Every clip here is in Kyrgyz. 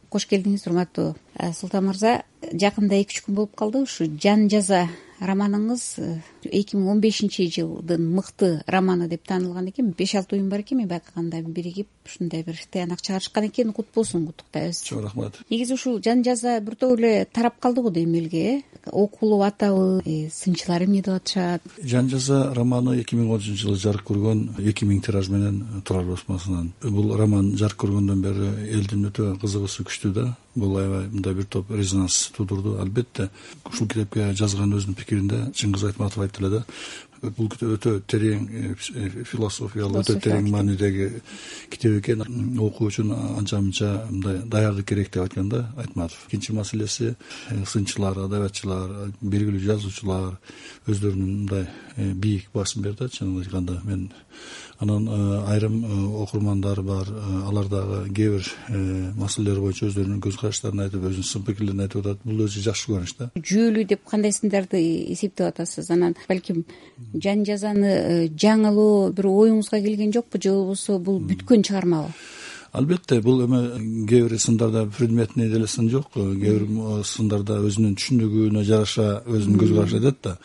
Кош келдиңиз, урматтуу Султан мырза. Жакында 2-3 күн болуп калды. Ушу Жан жаза романыңыз 2015-жылдын мыкты романы деп таанылган экен. 5-6 уюм бар экен, мен байкаганда биригип ушундай бир тыянак чыгарышкан экен. Кут болсун, куттуктайбыз. Чоң рахмат. Негизи ушул Жан жаза бир топ эле тарап калды го дейм элге. Окулуп атабы, сынчылар эмне деп атышат? Жан жаза романы 2010-жылы жарык көргөн, 2000 тираж менен Турар басмасынан. Бул роман жарык көргөндөн бери элдин өтө кызыгуусу күчтүү да. Бул аябай мындай бир топ резонанс туудурду. Албетте, ушул китепке жазган өзүнүн пикиринде Чыңгыз Айтматов айтты эле да. Бул китеп өтө терең философиялык, өтө терең маанидеги китеп экен. Окуу үчүн анча-мынча мындай даярдык керек деп айткан да Айтматов. Экинчи маселеси, сынчылар, адабиятчылар, белгилүү жазуучулар өздөрүнүн мындай бийик басым берди. Чынын айтканда мен анан айрым окурмандар бар, алар дагы кээ бир маселелер боюнча өздөрүнүн көз караштарын айтып, өзүнүн сын пикирлерин айтып атат. Бул өзү жакшы көрүнүш да. Жүйөлүү деп кандай сындарды эсептеп атасыз? Анан балким Жан жазаны жаңылоо бир оюңузга келген жокпу, же болбосо бул бүткөн чыгармабы? Албетте, бул эме кээ бир сындарда предметный деле сын жок, кээ бир сындарда өзүнүн түшүндүгүнө жараша өзүнүн көз карашы айтат да.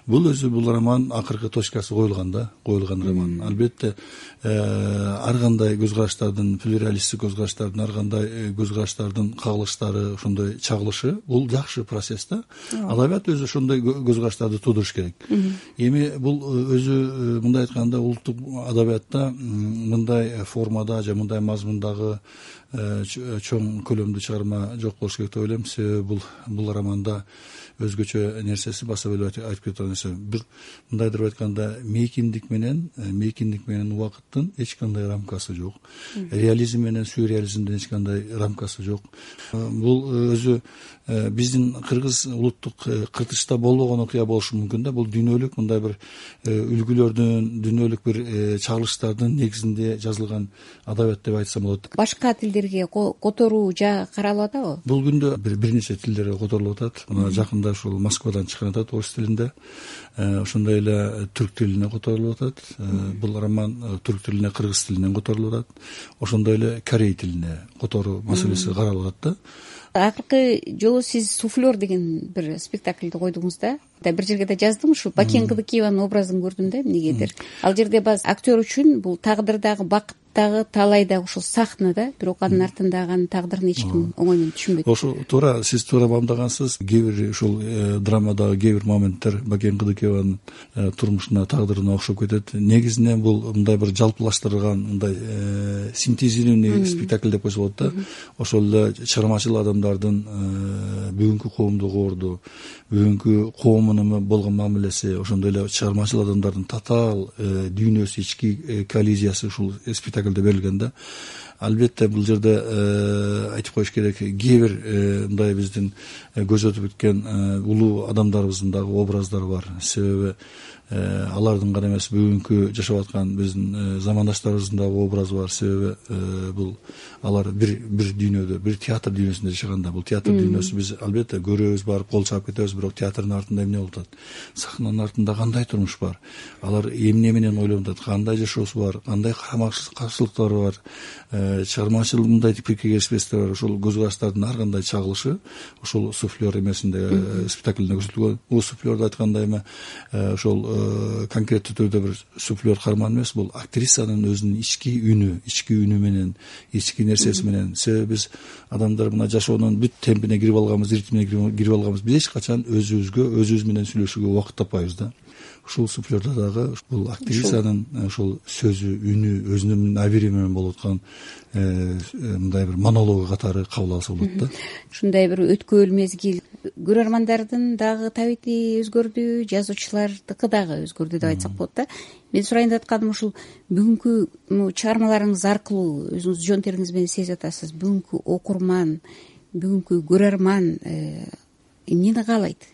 Бул өзү бул роман акыркы точкасы коюлган роман. Албетте, ар кандай көз караштардын, плюралисттик көз караштардын, ар кандай көз караштардын кагылыштары, ошондой чагылышы бул жакшы процесс да. Адабият өзү ошондой көз караштарды туудуруш керек. Эми бул өзү мындай айтканда улуттук адабиятта мындай формада же мындай мазмундагы чоң көлөмдүү чыгарма жок болуш керек деп ойлойм. Себеби бул романда өзгөчө нерсеси баса белип айтып кеткен нерсе. Бир мындайдыр айтканда мейкиндик менен убакыттын эч кандай рамкасы жок. Реализм менен сюрреализмдин эч кандай рамкасы жок. Бул өзү биздин кыргыз улуттук кыртышта болбогон окуя болушу мүмкүн да. Бул дүйнөлүк мындай бир үлгүлөрдүн, дүйнөлүк бир чагылыштардын негизинде жазылган адабият деп айтсам болот. Башка тилдерге которуу жагы каралып атабы? Бул күндө бир нече тилдерге которулуп атат. Мына жакында ушул Москвадан чыккан атат орус тилинде. Ошондой эле түрк тилине которулуп атат. Бул роман түрк тилине, кыргыз тилинен которулуп атат. Ошондой эле корей тилине которуу маселеси каралып атат да. Акыркы жолу сиз суфлер деген бир спектакльди койдуңуз да. Бир жерге да жаздым, ушу Бакен Кыдыкиеванын образын көрдүм да эмнегедир. Ал жерде баз актер үчүн бул тагдырдагы бакыт дагы талай да ушул сахна да, бирок анын артындагы анын тагдырын эч ким оңой менен түшүнбөйт. Ошо туура, сиз туура бамдагансыз. Кээ бир ушул драмадагы кээ бир моменттер Бакен Кыдыкиеванын турмушуна, тагдырына окшоп кетет. Негизинен бул мындай бир жалпылаштырылган, мындай синтезированный спектакль деп койсо болот да. Ошол эле чыгармачыл адамдардын бүгүнкү коомдук орду, бүгүнкү коомунун болгон мамилеси, ошондой эле чыгармачыл адамдардын татаал дүйнөсү, ички коллизиясы ушул спектакльде берилген да. Албетте, бул жерде айтып коюш керек, кээ бир мындай биздин көз өтүп өткөн улуу адамдарыбыздын дагы образдары бар. Себеби алардын гана эмес, бүгүнкү жашап аткан биздин замандаштарыбыздын дагы образы бар. Себеби бул алар бир дүйнөдө, бир театр дүйнөсүндө жашаганда, бул театр дүйнөсү биз албетте көрөбүз, барып кол чаап кетебиз, бирок театрдын артында эмне болуп атат? Сахнанын артында кандай турмуш бар? Алар эмне менен ойлонуп атат? Кандай жашоосу бар? Кандай каршылыктары бар? Чыгармачыл мындай пикирге келишпестер бар. Ошол көз караштардын ар кандай чагылышы ушул суфлер эмесинде, спектакльде көрсөтүлгөн. Бул суфлерди айтканда эми ошол конкреттүү түрдө бир суфлер каарман эмес, бул актрисанын өзүнүн ички үнү менен, ички нерсеси менен. Себеби биз адамдар мына жашоонун бүт темпине кирип алганбыз, ритмине кирип алганбыз. Биз эч качан өзүбүз менен сүйлөшүүгө убакыт таппайбыз да. Ушул суфлерде дагы бул актрисанын ушул сөзү, үнү, өзүнүн набери менен болуп аткан мындай бир монологу катары кабыл алса болот да. Ушундай бир өткөөл мезгил. Көрөрмандардын дагы табити өзгөрдү, жазуучулардыкы дагы өзгөрдү деп айтсак болот да. Мен сурайын деп атканым ушул бүгүнкү чыгармаларыңыз аркылуу өзүңүз жон териңиз менен сезип атасыз. Бүгүнкү окурман, бүгүнкү көрөрман эмнени каалайт?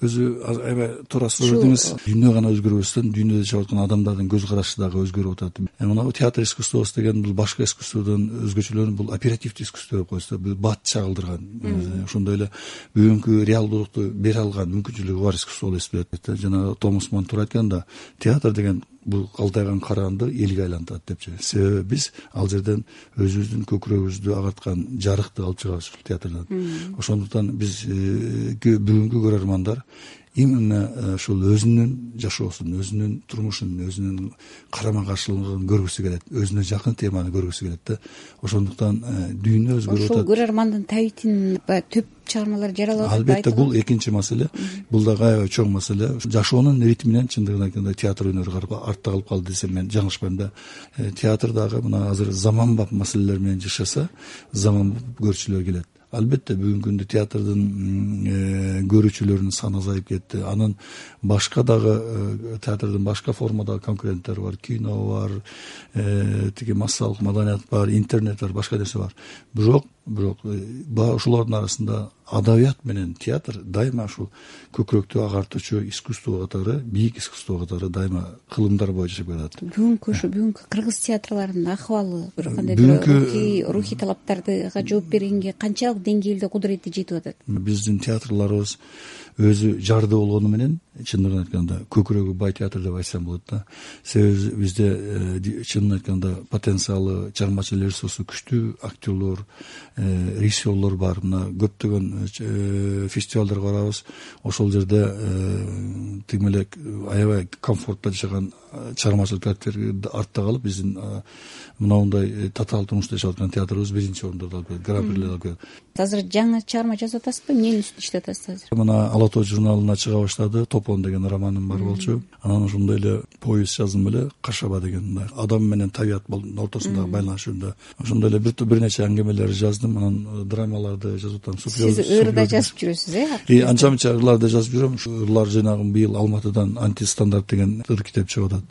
Өзү аябай туура суроо бердиңиз. Дүйнө гана өзгөрбөстөн, дүйнөдө жашап аткан адамдардын көз карашы дагы өзгөрүп атат. Мына театр искусствосу деген бул башка искусстводон өзгөчөлөнүп, бул оперативдүү искусство деп койсо, бул бат чагылдырган, ошондой эле бүгүнкү реалдуулукту бере алган мүмкүнчүлүгү бар искусство болуп эсептелет. Жана Томас Ман туура айтканда, театр деген бул калтайган караанды элге айлантат депчи. Себеби биз ал жерден өзүбүздүн көкүрөгүбүздү агарткан жарыкты алып чыгабыз ушул театрдан. Ошондуктан биз бүгүнкү көрөрмандар именно ушул өзүнүн жашоосун, өзүнүн турмушун, өзүнүн карама каршылыгын көргүсү келет, өзүнө жакын теманы көргүсү келет да. Ошондуктан дүйнө өзгөрүп атат. Ошол көрөрмандын табитин төп чыгармалар жаралып атат. Албетте бул экинчи маселе. Бул дагы аябай чоң маселе. Жашоонун ритминен чындыгын айтканда театр өнөрү артта калып калды десем мен жаңылышпайм да. Театр дагы мына азыр заманбап маселелер менен жашаса, заманбап көрүүчүлөр келет. Албетте бүгүнкү күндө театрдын көрүүчүлөрүнүн саны азайып кетти. Анын башка дагы театрдын башка формадагы конкуренттери бар. Кино бар, тиги массалык маданият бар, интернет бар, башка нерсе бар. Бирок ошолордун арасында адабият менен театр дайыма ушул көкүрөктү агартуучу искусство катары, бийик искусство катары дайыма кылымдар боюнча жашап келатат. Бүгүнкү кыргыз театрларынын акыбалы бир кандай бир рухий талаптарга жооп бергенге канчалык деңгээлде кудурети жетип атат? Биздин театрларыбыз өзү жарды болгону менен чындыгын айтканда көкүрөгү бай театр деп айтсам болот да. Себеби бизде чынын айтканда потенциалы, чыгармачыл ресурсу күчтүү актерлор, режиссерлор бар. Мына көптөгөн фестивалдарга барабыз. Ошол жерде тиги элек аябай комфортто жашаган чыгармачыл коллективдер артта калып, биздин мындай татаал турмушта жашап аткан театрыбыз биринчи орундорду алып келет, гран-прилерди алып келет. Азыр жаңы чыгарма жазып атасызбы? Эмненин үстүндө иштеп атасыз азыр? Мына Ала тоо журналына чыга баштады. Топон деген романым бар болчу. Анан ошондой эле повесть жаздым эле, Кашаба деген мындай адам менен табият ортосундагы байланыш жөнүндө. Ошондой эле бир нече аңгемелер жаздым. Анан драмаларды жазып атам. Сиз ырда жазып жүрөсүз, Анча мынча ырларды жазып жүрөм. Ырлар жыйнагым быйыл Алматыдан антистандарт деген ыр китеп чыгып атат.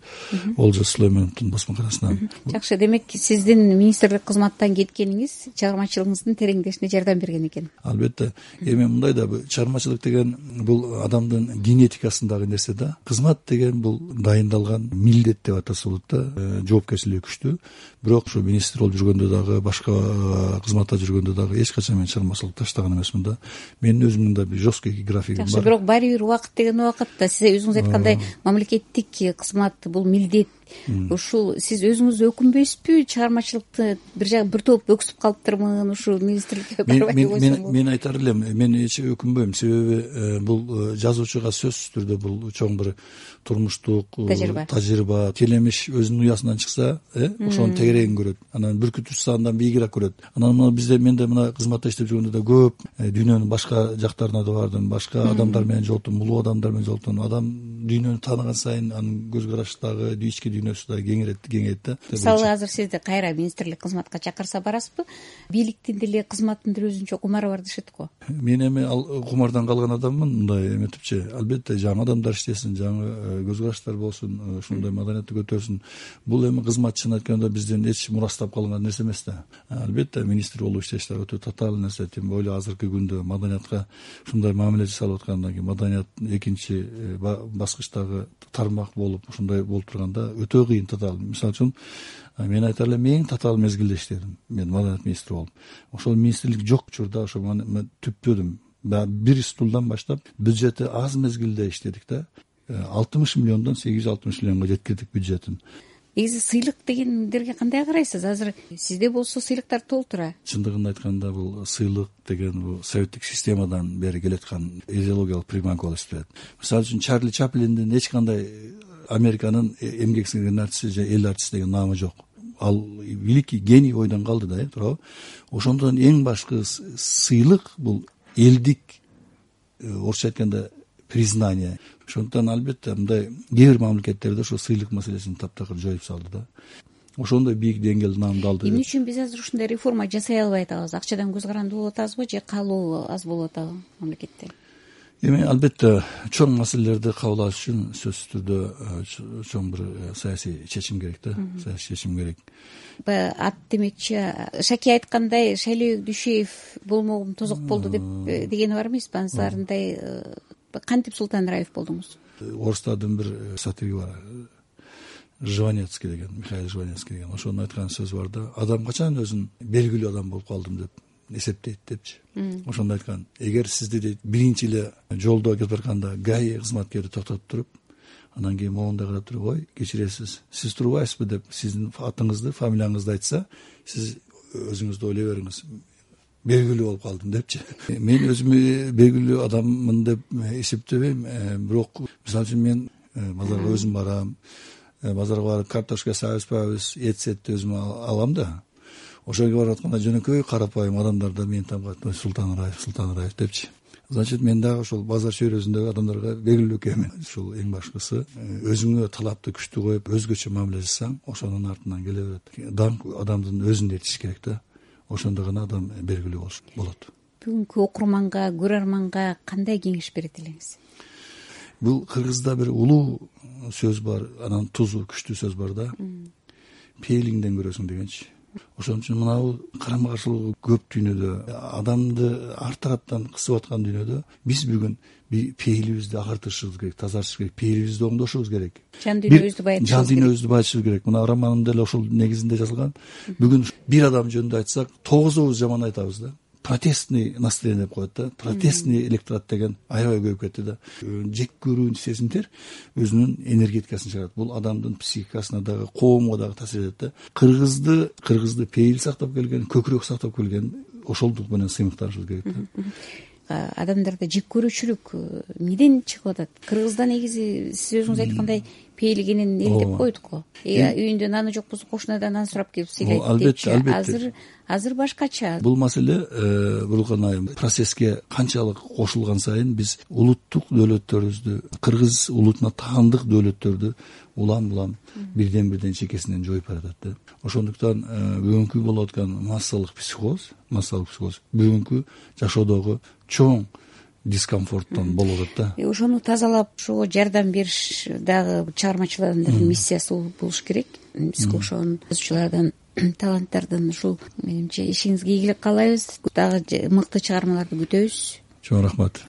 Олжас Сүлеймановдун басмаканасынан. Жакшы, демек сиздин министрлик кызматтан кеткениңиз чыгармачылыгыңыздын тереңдешине жардам берген экен. Албетте. Эми мындай да чыгармачылык деген бул адамдын генетикасындагы нерсе да. Кызмат деген бул дайындалган милдет деп атаса болот да. Жоопкерчилиги күчтүү. Бирок ушу министр болуп жүргөндө дагы, башка кызматта жүргөндө дагы эч качан мен чыгармачылык таштаган эмесмин да. Менин өзүмдүн да бир жесткий графигим бар. Жакшы, бирок баары бир убакыт деген убакытта сиз өзүңүз айткандай мамлекеттик кызмат бул милдет. Ушул сиз өзүңүз өкүнбөйсүзбү? Чыгармачылыкты бир топ өксүп калыптырмын, ушул министрликке барбай койсом. Мен айтар элем, мен эч өкүнбөйм. Себеби бул жазуучуга сөзсүз түрдө бул чоң бир турмуштук тажрыйба, келемиш өзүнүн уясынан чыкса, ошонун тегерегин көрөт. Анан бүркүт учса андан бийигирээк көрөт. Анан менде мына кызматта иштеп жүргөндө да көп дүйнөнүн башка жактарына да бардым, башка адамдар менен жолуктум, улуу адамдар менен жолуктум. Адам дүйнөнү тааныган сайын анын көз караштагы ички дүйнөсү да кеңейет да. Мисалы азыр сизди кайра министрлик кызматка чакырса барасызбы? Бийликтин деле кызматтын деле өзүнчө кумары бар дешет го. Мен эми ал кумардан калган адаммын, мындай эметипчи. Албетте жаңы адамдар иштесин, жаңы көз караштар болсун, ушундай маданиятты көтөрсүн. Бул эми кызмат чын айтканда бизден эч мурастап калган нерсе эмес да. Албетте министр болуп иштеш да өтө татаал нерсе. Тем более азыркы күндө маданиятка ушундай мамиле жасалып аткандан кийин, маданият экинчи баскычтагы тармак болуп ушундай болуп турганда өтө кыйын, татаал. Мисалы үчүн мен айтар элем, эң татаал мезгилде иштедим мен маданият министри болуп. Ошол министрлик жок учурда ошо мен түптөдүм. Бир стулдан баштап бюджети аз мезгилде иштедик да. 60 миллиондон 860 миллионго жеткирдик бюджетин. Негизи сыйлык дегендерге кандай карайсыз? Азыр сизде болсо сыйлыктар толтура. Чындыгын айтканда бул сыйлык деген бул советтик системадан бери келаткан идеологиялык приманка болуп эсептелет. Мисалы үчүн Чарли Чаплиндин эч кандай Американын эмгек сиңирген артисти же эл артисти деген наамы жок. Ал великий гений ойдон калды да, туурабы? Ошондон эң башкы сыйлык бул элдик, орусча айтканда признание. Ошондуктан албетте мындай кээ бир мамлекеттерде ошо сыйлык маселесин таптакыр жоюп салды да. Ошондой бийик деңгээлде наамды алды. Эмне үчүн биз азыр ушундай реформа жасай албай атабыз? Акчадан көз каранды болуп атабызбы же каалоо аз болуп атабы мамлекетте? Эми албетте чоң маселелерди кабыл алыш үчүн сөзсүз түрдө чоң бир саясий чечим керек да, саясий чечим керек. Ат демекчи, Шаки айткандай, Шайлөө Дүйшеев болмогум тозок болду деп дегени бар эмеспи? Анысарындай кантип Султан Раев болдуңуз? Орустардын бир сатири бар, Жванецкий деген, Михаил Жванецкий деген. Ошонун айткан сөзү бар да, адам качан өзүн белгилүү адам болуп калдым деп эсептейт депчи. Ошондо айткан, эгер сизди дейт биринчи эле жолдо кетип барганда ГАИ кызматкери токтотуп туруп, Анан кийин моундай карап туруп, ой кечиресиз, сиз турбайсызбы деп сиздин атыңызды, фамилияңызды айтса, сиз өзүңүздү ойлой бериңиз, белгилүү болуп калдым депчи. Мен өзүмү белгилүү адаммын деп эсептебейм, бирок мисалы үчүн мен базарга өзүм барам, базарга барып картошка сабызбайбыз, эт-сетти өзүм алам да. Ошол жерге барып атканда жөнөкөй карапайым адамдар да мени таап, Султан Раев депчи. Значит, мен дагы ошол базар чөйрөсүндөгү адамдарга белгилүү экенмин. Ушул эң башкысы өзүңө талапты күчтүү коюп, өзгөчө мамиле жасасаң, ошонун артынан келе берет. Даңк адамдын өзүндө жетиш керек да. Ошондо гана адам белгилүү болот. Бүгүнкү окурманга, көрөрманга кандай кеңеш берет элеңиз? Бул кыргызда бир улуу сөз бар, анан тузу күчтүү сөз бар да. Пейлиңден көрөсүң дегенчи. Ошон үчүн мынабу карама каршылыгы көп дүйнөдө, адамды ар тараптан кысып аткан дүйнөдө биз бүгүн пейилибизди агартышыбыз керек, тазартышыбыз керек, пейилибизди оңдошубуз керек. Жан дүйнөбүздү байытышыбыз керек. Мына романым деле ошол негизинде жазылган. Бүгүн бир адам жөнүндө айтсак, 9 жаман айтабыз да. Протестный настроение деп коет да. Протестный электорат деген аябай көбөйүп кетти да. Жек көрүү сезимдер өзүнүн энергетикасын чыгарат. Бул адамдын психикасына дагы, коомго дагы таасир этет да. Кыргызды пейил сактап келген, көкүрөк сактап келген ошолдук менен сыймыкташыбыз керек да. Адамдарда жек көрүүчүлүк эмнеден чыгып атат? Кыргызда негизи сиз өзүңүз айткандай пейилгенин эл деп койдук го. Үйүндө наны жок болсо кошунадан нан сурап келип сыйлайт депчи. Азыр башкача. Бул маселе Бурулкан айым процесске канчалык кошулган сайын биз улуттук дөөлөттөрүбүздү, кыргыз улутуна таандык дөөлөттөрдү улам бирден чекесинен жоюп баратат да. Ошондуктан бүгүнкү болуп аткан массалык психоз бүгүнкү жашоодогу чоң дискомфорттон болуп атат да. Ошону тазалап, ошого жардам бериш дагы чыгармачыл адамдардын миссиясы болуш керек. Биз ошонун жазуучулардан, таланттардын ушул менимче ишиңизге ийгилик каалайбыз. Дагы мыкты чыгармаларды күтөбүз. Чоң рахмат.